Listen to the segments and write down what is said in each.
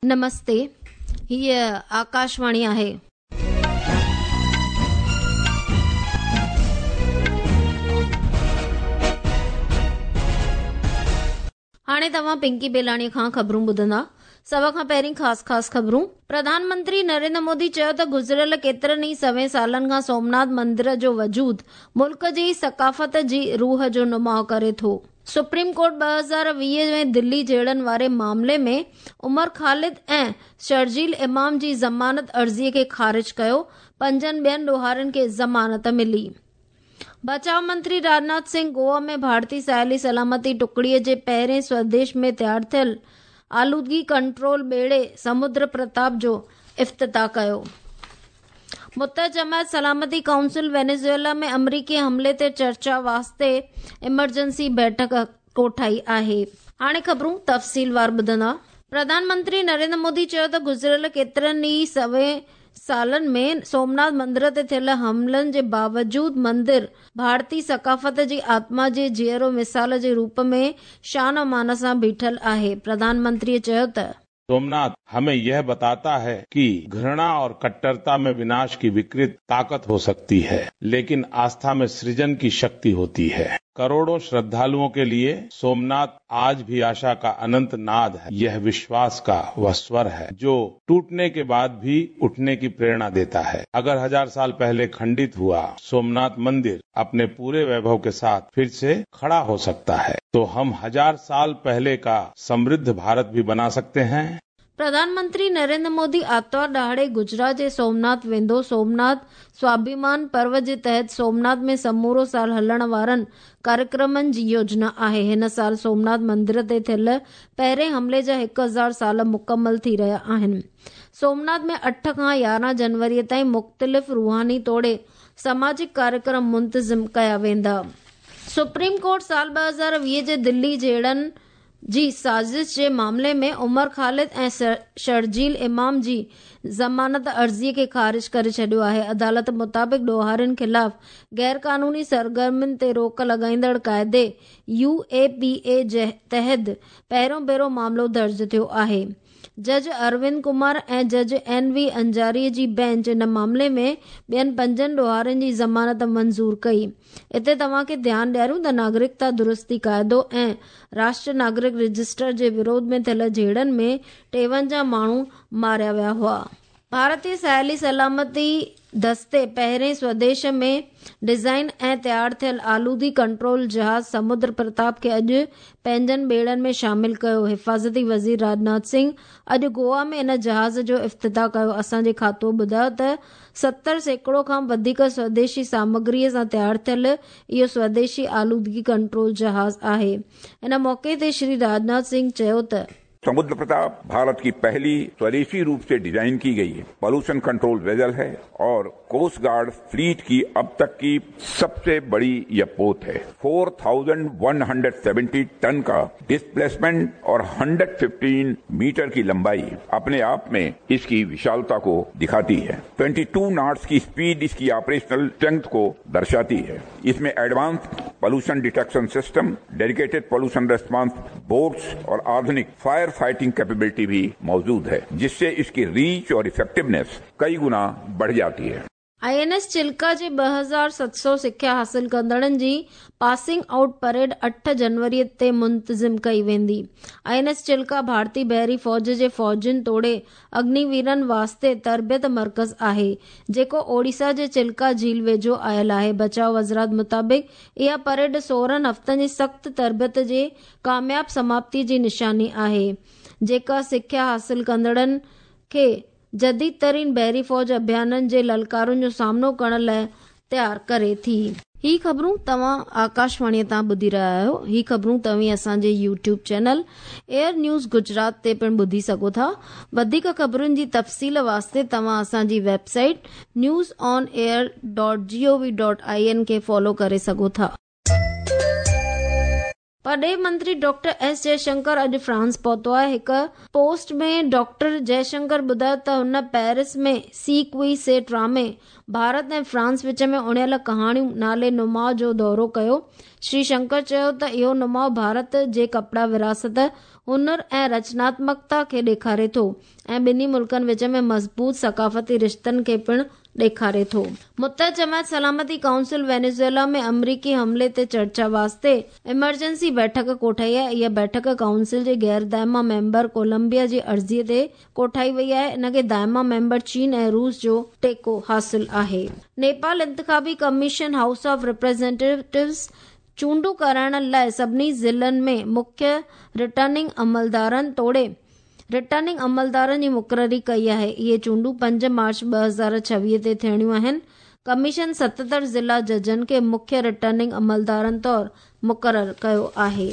نمستي، هيء آڪاشواڻي آهي. هاڻي توهان پنڪي بيلاڻي کان خبرون ٻڌندا. سڀ کان پهرين خاص خاص خبرون. پرڌان منتري نريندر مودي چيو ته گذريل ڪيترن ئي سوين سالن کان سومناٿ مندر جو وجود ملڪ جي ثقافت جي روح جو نماء ڪري ٿو. سپريم ڪورٽ 2020 ۾ دلي جهيڙن واري معاملي ۾ عمر خالد ۽ شرجيل امام جي ضمانت عرضي کي خارج ڪيو، پنجن ٻين ڏوهارين کي ضمانت ملي. بچاء منتري راجناٿ سنگهه گوا ۾ ڀارتي ساحلي سلامتي ٽڪڙي جي پهرين سوديش ۾ تيار ٿيل آلودگي ڪنٽرول ٻيڙي سمندر پرتاپ جو افتتاح ڪيو. متحده جماعت سلامتي ڪائونسل وينيزويلا ۾ آمريڪي حملي تي چرچا واسطي ايمرجنسي بيٺڪ ڪوٺائي آهي. هاڻي خبرون تفصيلوار ٻڌندا. پرڌان منتري نريندر مودي چيو ته گذريل ڪيترن ئي سوين سالن ۾ سومناٿ مندر تي ٿيل حملن جي باوجود مندر ڀارتي ثقافت جي آتما جي جيئرو مثال جي روپ ۾ شان و مان سان بيٺل آهي. پرڌان منتري چيو ته. सोमनाथ हमें यह बताता है कि घृणा और कट्टरता में विनाश की विकृत ताकत हो सकती है, लेकिन आस्था में सृजन की शक्ति होती है। करोड़ों श्रद्धालुओं के लिए सोमनाथ आज भी आशा का अनंत नाद है। यह विश्वास का वह स्वर है जो टूटने के बाद भी उठने की प्रेरणा देता है। अगर 1000 साल पहले खंडित हुआ सोमनाथ मंदिर अपने पूरे वैभव के साथ फिर से खड़ा हो सकता है, तो हम 1000 साल पहले का समृद्ध भारत भी बना सकते हैं। پرڌان منتري نريندر مودي آتوار ڏهاڙي گجرات جي سومناٿ ويندو. سومناٿ سواڀيمان پرو جي تحت سومناٿ ۾ سمورو سال هلڻ وارن ڪاريڪرمن جي يوجنا آهي. هن سال سومناٿ مندر تي ٿيل پهرين حملي جا 1000 سال مڪمل ٿي رهيا آهن. سومناٿ ۾ 8 کان 11 جنوري تائين مختلف روحاني توڙي سماجڪ ڪاريڪرم منتظم ڪيا ويندا. سپريم ڪورٽ سال 2020 جي دلي جهيڙن جي سازش جي معاملي ۾ عمر خالد ۽ شرجيل امام جي ضمانت عرضي کي خارج ڪري ڇڏيو آهي. عدالت مطابق ڏوهارين خلاف غيرقانوني سرگرمين تي روڪ لڳائيندڙ قاعدي يو اي پي اي تحت پهريون ڀيرو معاملو درج ٿيو آهي. جج اروند ڪمار ۽ جج اين وي انجاري جي بينچ ان معاملي ۾ ٻين پنجن ڏوهارين جي ضمانت منظور ڪئي. اتي توهان کي ڌيان ڏياريون ته ناگرڪتا درستي قاعدو ۽ راشٽر ناگرڪ رجسٽر جي وروڌ ۾ ٿيل جهيڙن ۾ 53 ماڻهو ماريا ويا هئا. ڀارتي ساحلي سلامتي دستي پهرين سوديش ۾ ڊزائن ۽ تيار ٿيل آلودگي ڪنٽرول جهاز سمندر پرتاپ کي اڄ پنهنجن ٻيڙن ۾ شامل ڪيو. حفاظتي وزير راجناٿ سنگهه اڄ گوا ۾ ان جهاز جو افتتاح ڪيو. اسان جي کاتو ٻڌايو ته 70% کان وڌيڪ سوديشي سامگري سان تيار ٿيل اهو سوديشي آلودگي ڪنٽرول جهاز آهي. ان موقعي تي شري راجناٿ سنگهه چيو ته. समुद्र प्रताप भारत की पहली स्वदेशी रूप से डिजाइन की गई पॉल्यूशन कंट्रोल वेजल है और कोस्ट गार्ड फ्लीट की अब तक की सबसे बड़ी यह पोत है। 4170 टन का डिस्प्लेसमेंट और 115 मीटर की लंबाई अपने आप में इसकी विशालता को दिखाती है। 22 नॉट्स की स्पीड इसकी ऑपरेशनल स्ट्रेंथ को दर्शाती है। इसमें advance pollution detection system, dedicated pollution response boats और आधुनिक फायर फाइटिंग कैपेबिलिटी भी मौजूद है, जिससे इसकी रीच और इफेक्टिवनेस कई गुना बढ़ जाती है। I N S Chilka جي 2700 سکيا حاصل ڪندڙن جي پاسنگ آئوٽ پريڊ 8 جنوري تي منتظم ڪئي ويندي. I N S Chilka ڀارتي بحري فوج جي فوجين توڙي اگنيويرن واسطي تربيت مرڪز آهي، جيڪو اوڙيسا جي چلڪا جهيل ويجهو آيل آهي. بچاء وزارت مطابق اها پريڊ 16 هفتن جي سخت تربيت جي ڪامياب سماپتي جي نشاني آهي، جيڪا سکيا حاصل ڪندڙن کي جديد ترين بحري فوج اڀيانن جي للڪارن جو سامنو ڪرڻ لاء تيار ڪري ٿي. هي خبرون توهان آڪاشواڻي تان ٻڌي رهيا آهيو. هي خبرون توهين اسان جي YouTube channel air news Gujarat تي پڻ ٻڌي سگهو ٿا. وڌيڪ خبرن جي تفصيل واسطي توهان اسان جي website news on air dot G O V dot I N کي فالو ڪري سگهو ٿا. پرڏيهي منتري ڊاڪٽر ايس جئشنڪر اڄ فرانس پهتو آهي. هڪ پوسٽ ۾ ڊاڪٽر جئشنڪر ٻڌايو ته هن پيرس ۾ سي ڪوئي سي ٽرامي، ڀارت ۽ فرانس وچ ۾ اڻيل ڪهاڻيون نالي نماء جو دورو ڪيو. شري شنڪر چيو ته اهو نماء ڀارت جي ڪپڙا وراثت، هنر ۽ رچناتمڪتا کي ڏيکاري ٿو ۽ ٻنهي ملڪن وچ ۾ مضبوط ثقافتي رشتن کي پڻ ڏيکاري ٿو. متحده جماعت سلامتي ڪائونسل وينيزويلا ۾ آمريڪي حملي تي چرچا واسطي ايمرجنسي بيٺڪ ڪوٺائي آهي. اها بيٺڪ ڪائونسل جي غير دائما ميمبر ڪولمبيا جي عرضي تي ڪوٺائي وئي آهي. ان کي دائما ميمبر چين ۽ روس جو ٽيڪو حاصل آهي. نيپال انتخابي ڪميشن هائوس آف ريپريزينٽيٽوز چونڊون ڪرائڻ لاء سڀني ضلعن ۾ مکيه رٽرننگ عملدارن توڙي رٽرننگ عملدارن جي مقرري ڪئي آهي. اهي چونڊون 5 مارچ 2026 تي ٿيڻيون آهن. ڪميشن 77 ضلع ججن کي مکيه رٽرننگ عملدارن طور مقرر ڪيو آهي.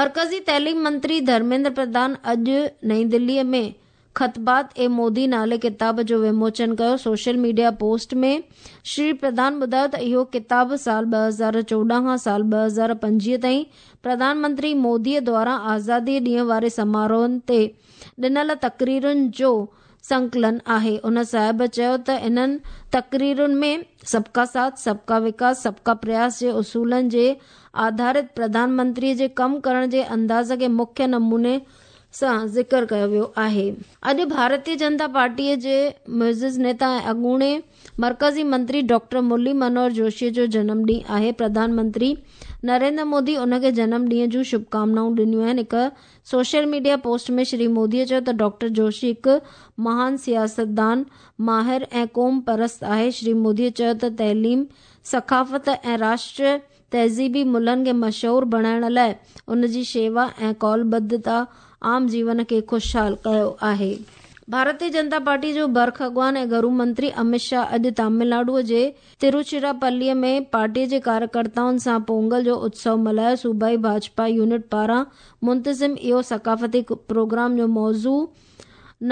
مرڪزي تعليم منتري ڌرميندر پرڌان اڄ نئين دلي ۾ خطبات اي مودي نالي ڪتاب جو وموچن ڪيو. سوشل ميڊيا پوسٽ ۾ شري پرڌان ٻڌايو ته اهو ڪتاب سال 2014 کان سال 2025 تائين پرڌان منتري مودي دواران آزادي ڏينهن واري سماروهن تي ڏنل تقريرن جو سنڪلن آهي. ان صاحب چيو ته انهن تقريرن ۾ سبڪا ساٿ، سبڪا وڪاس، سبڪا پرياس جي اصولن جي آڌارت پرڌان منتري جي ڪم ڪرڻ جي انداز کي مکيه نموني سان ذڪر ڪيو ويو آهي. اڄ ڀارتيه جنتا پارٽيء جي معزز نيتا ۽ اڳوڻي مرڪزي منتري ڊاڪٽر مرلي منوهر جوشيء جو جنم ڏينهن آهي. پرڌان منتري نريندر مودي ان کي جنم ڏينهن جون شڀڪامنائون ڏنيون آهن. هڪ سوشل ميڊيا پوسٽ ۾ شري موديء چيو ته ڊاڪٽر جوشي هڪ مهان سياستدان، ماهر ۽ قوم پرست آهي. شري موديء چيو ته تعليم، ثقافت ۽ راشٽريه تهذيبي ملهن کي مشهور بڻائڻ لاء ان جي شيوا ۽ قولبڌتا عام جيون کي خوشحال ڪيو آهي. ڀارتيه جنتا پارٽي جو برک اڳواڻ ۽ گهرو منتري امت شاهه اڄ تامل ناڊو جي تروچراپلي ۾ پارٽي جي ڪاريڪرتائن سان پونگل جو اتسو ملهايو. صوبائي ڀاجپا يونٽ پاران منتظم اهو ثقافتي پروگرام جو موضوع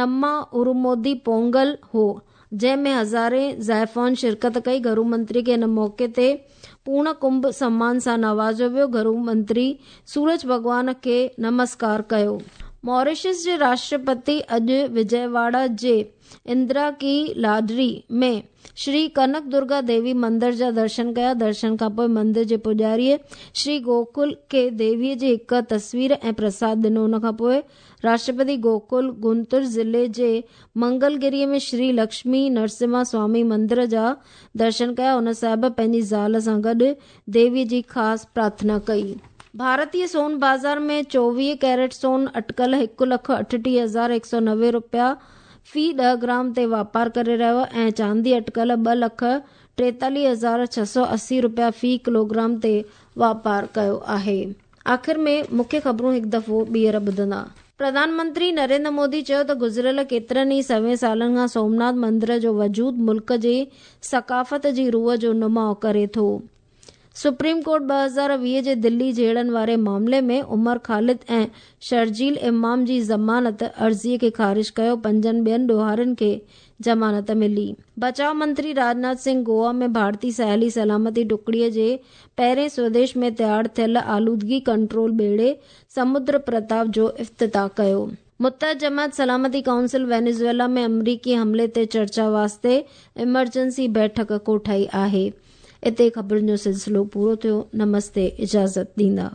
نما ارومودي پونگل هو، جنهن ۾ هزارين زائفائن شرڪت ڪئي. گهرو منتري کي ان موقعي تي پورڻ ڪنڀ سمان سان نوازيو ويو. گهرو منتري سورج ڀڳوان کي نمسڪار ڪيو. ماريشس جي راشٽرپتي اڄ وجيواڙا جي اندرا ڪي لاڊري ۾ شري ڪنڪ درگا ديوي مندر جا درشن ڪيا. درشن کانپوء مندر جي پوڄاريء شري گوڪل کي ديويء جي هڪ تصوير ۽ پرساد ڏنو. ان کانپوء راشٽرپتي گوڪل گنتور ضلعي جي منگلگريء ۾ شري لڪشمي نرسمها سوامي مندر جا درشن ڪيا. هن صاحب پنهنجي زال سان گڏ ديويء جي خاص پرارٿنا ڪئي. ڀارتي سون بازار ۾ 24 ڪيرٽ سون اٽڪل 1,38,190 رپيا في 10 گرام تي واپار ڪري رهيو آهي ۽ چاندي اٽڪل 2,43,680 رپيا في ڪلوگرام تي واپار ڪيو آهي. آخر ۾ مکيه خبرون هڪ دفعو ٻيهر ٻڌندا. پرڌان منتري نريندر مودي چيو ته گذريل ڪيترن ئي سوين سالن کان سومناٿ مندر جو وجود ملڪ جي ثقافت جي روح جو نماء ڪري ٿو. سپريم ڪورٽ 2020 جي دلي جهيڙن واري معاملي ۾ عمر خالد ۽ شرجيل امام جي ضمانت عرضي کي خارج ڪيو، پنجن ٻين ڏوهارين کي ضمانت ملي. بچاء منتري راجناٿ سنگهه گوا ۾ ڀارتي ساحلي سلامتي ٽڪڙي جي پهرين سوديش ۾ تيار ٿيل آلودگي ڪنٽرول ٻيڙي سمندر پرتاپ جو افتتاح ڪيو. متحده جماعت سلامتي ڪائونسل وينيزويلا ۾ آمريڪي حملي تي چرچا واسطي ايمرجنسي بيٺڪ ڪوٺائي آهي. اتي خبرن جو سلسلو پورو ٿيو. نمستي اجازت ڏيندا.